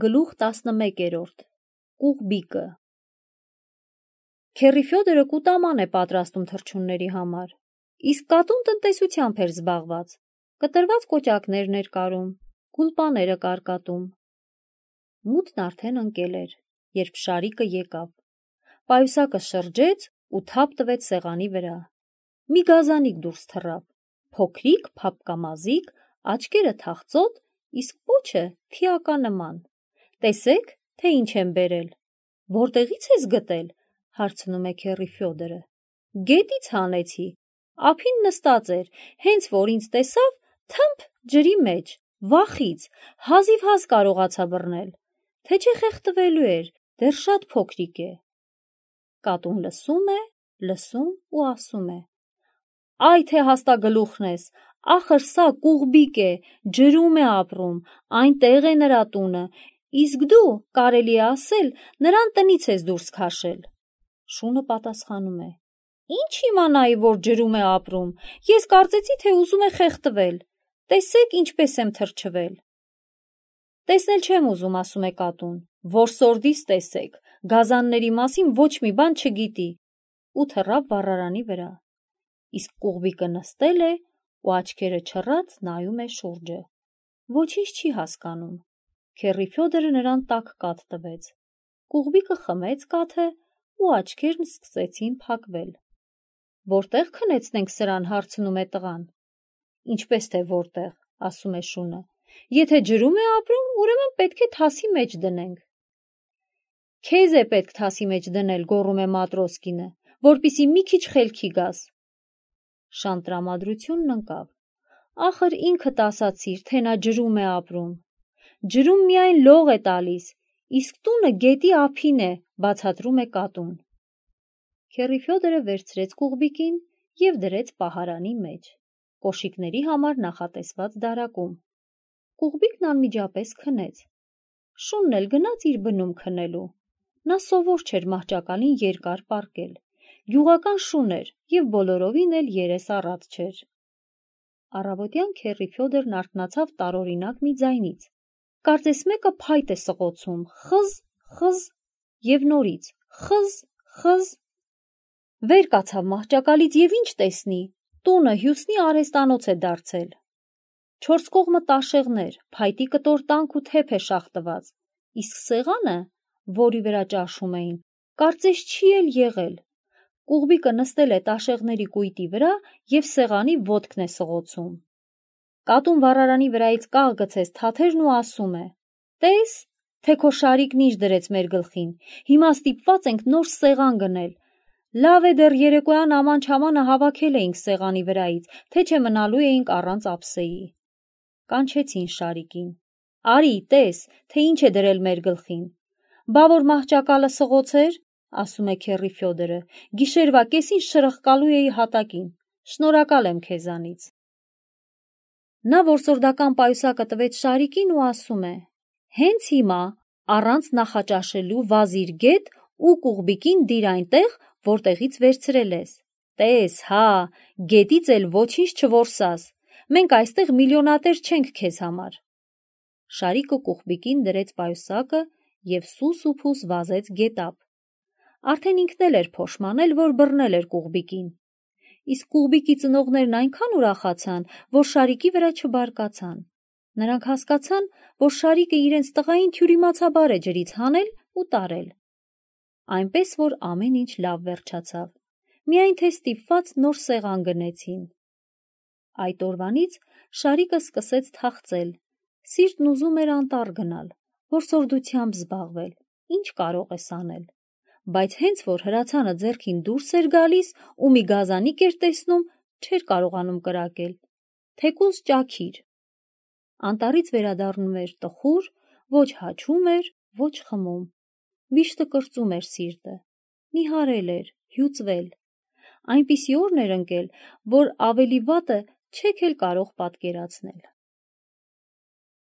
Գլուխ 11 Կուղբիկը Քեռի Ֆյոդորը կուտաման է պատրաստում թռչունների համար, իսկ կատուն տնտեսությամբ էր զբաղված, կտրված կոճակներն էր կարում, գուլպաները կարկատում։ Մութն արդեն ընկել էր, երբ Շարիկը եկավ։ Պայուսակը շրջեց ու թափ տվեց սեղանի վրա։ Մի գազանիկ դուրս թռավ, փոքրիկ, փափկամազիկ, աչքերը թախծոտ, իսկ պոչը թիականման։ Տեսեք, թե ինչ եմ բերել։ Որտեղից ես գտել, հարցնում է քեռի Ֆյոդորը։ Գետից հանեցի, ափին նստած էր, հենց որ ինձ տեսավ, թմփ ջրի մեջ, վախից, հազիվ հազ կարողացա բռնել, թե չէ խեղդվելու էր, դեռ շատ փոքրիկ է։ Կատուն լսում ու ասում է. Այ թե հաստագլուխն ես, ախր սա Կուղբիկ է, ջրում է ապրում, այնտեղ է նրա տունը, իսկ դու, կարելի է ասել, նրան տնից ես դուրս քաշել։ Շունը պատասխանում է. Ինչ իմանայի, որ ջրում է ապրում, ես կարծեցի, թե ուզում է խեղդվել, տեսեք ինչպես եմ թրջվել։ Տեսնել չեմ ուզում, ասում է կատուն, որսորդիս տեսեք, գազանների մասին ոչ մի բան չգիտի, ու թռավ վառարանի վրա։ Իսկ Կուղբիկը նստել է ու աչքերը չռած նայում է շուրջը։ Ոչինչ չի հասկանում։ Քեռի Ֆյոդորը նրան տաք կաթ տվեց։ Կուղբիկը խմեց կաթը ու աչքերն սկսեցին փակվել։ Որտեղ քնեցնենք սրան, հարցնում է տղան։ Ինչպես թե որտեղ, ասում է շունը։ Եթե ջրում է ապրում, ուրեմն պետք է թասի մեջ դնենք։ Քեզ է պետք թասի մեջ դնել, գոռում է Մատրոսկինը, որպիսի մի քիչ խելքի գաս։ Շան տրամադրությունն ընկավ։ Ախր ինքդ ասացիր, թե նա ջրում է ապրում։ Ջրում միայն լող է տալիս, իսկ տունը գետի ափին է, բացատրում է կատուն։ Քեռի Ֆյոդորը վերցրեց Կուղբիկին և դրեց պահարանի մեջ, կոշիկների համար նախատեսված դարակում։ Կուղբիկն անմիջապես քնեց։ Շունն էլ գնաց իր բնում քնելու։ Նա սովոր չէր մահճակալին երկար պառկել։ Գյուղական շուն էր և բոլորովին էլ երես առատ չէր։ Առավոտյան քեռի Ֆյոդորն արթնացավ տարօրինակ մի ձայնից։ Կարծես մեկը փայտ է սղոցում, խզ, և նորից, խզ։ Վեր կացավ մահճակալից և ինչ տեսնի, տունը հյուսնի արհեստանոց է դարձել։ Չորս կողմը տաշեղներ, փայտի կտոր տանք ու թեփ է շաղտված, իսկ սեղանը, որի վրա ճաշում էին, կարծես չի էլ եղել։ Կուղբիկը նստել է տաշեղների կույտի վրա և սեղանի ոտքն է սղոցում։ Կատուն վառարանի վրայից կաղ գցեց թաթերն ու ասում է. Տես, թե քո Շարիկն ինչ դրեց մեր գլխին, հիմա ստիպված ենք նոր սեղան գնել։ Լավ է դեռ երեկոյան աման-չամանը հավաքել էինք սեղանի վրայից, թե չէ մնալու էինք առանց ափսեի։ Կանչեցին Շարիկին. Արի, տես, թե ինչ է դրել մեր գլխին։ Բա որ մահճակալը սղոցեր, ասում է քեռի Ֆյոդորը, գիշերվա կեսին շրխկալու էի հատակին, շնորհակալ եմ քեզանից։ Նա որսորդական պայուսակը տվեց Շարիկին ու ասում է. Հենց հիմա, առանց նախաճաշելու վազիր գետ ու Կուղբիկին դիր այնտեղ, որտեղից վերցրել ես։ Տես, հա, գետից էլ ոչինչ չորսաս, մենք այստեղ միլիոնատեր չենք քեզ համար։ Շարիկը Կուղբիկին դրեց պայուսակը և սուս ու փուս վազեց գետափ։ Արդեն ինքն էլ էր փոշմանել, որ բռնել էր Կուղբիկին։ Իսկ Կուղբիկի ծնողներն այնքան ուրախացան, որ Շարիկի վրա չբարկացան։ Նրանք հասկացան, որ Շարիկը իրենց տղային թյուրիմացաբար է ջրից հանել ու տարել։ Այնպես որ ամեն ինչ լավ վերջացավ, միայն թե ստիպված նոր սեղան գնեցին։ Այդ օրվանից Շարիկը սկսեց թախծել, սիրտն ուզում էր անտառ գնալ, որսորդությամբ զբաղվել, ինչ կարող ես անել։ Բայց հենց որ հրացանը ձեռքին դուրս էր գալիս ու մի գազանիկ էր տեսնում, չէր կարողանում կրակել, թեկուզ ճաքիր։ Անտառից վերադառնում էր տխուր, ոչ հաչում էր, ոչ խմում։ Վիշտը կրծում էր սիրտը, նիհարել էր, հյուծվել։ Այնպիսի օրն էր ընկել, որ ավելի վատը չեք էլ կարող պատկերացնել։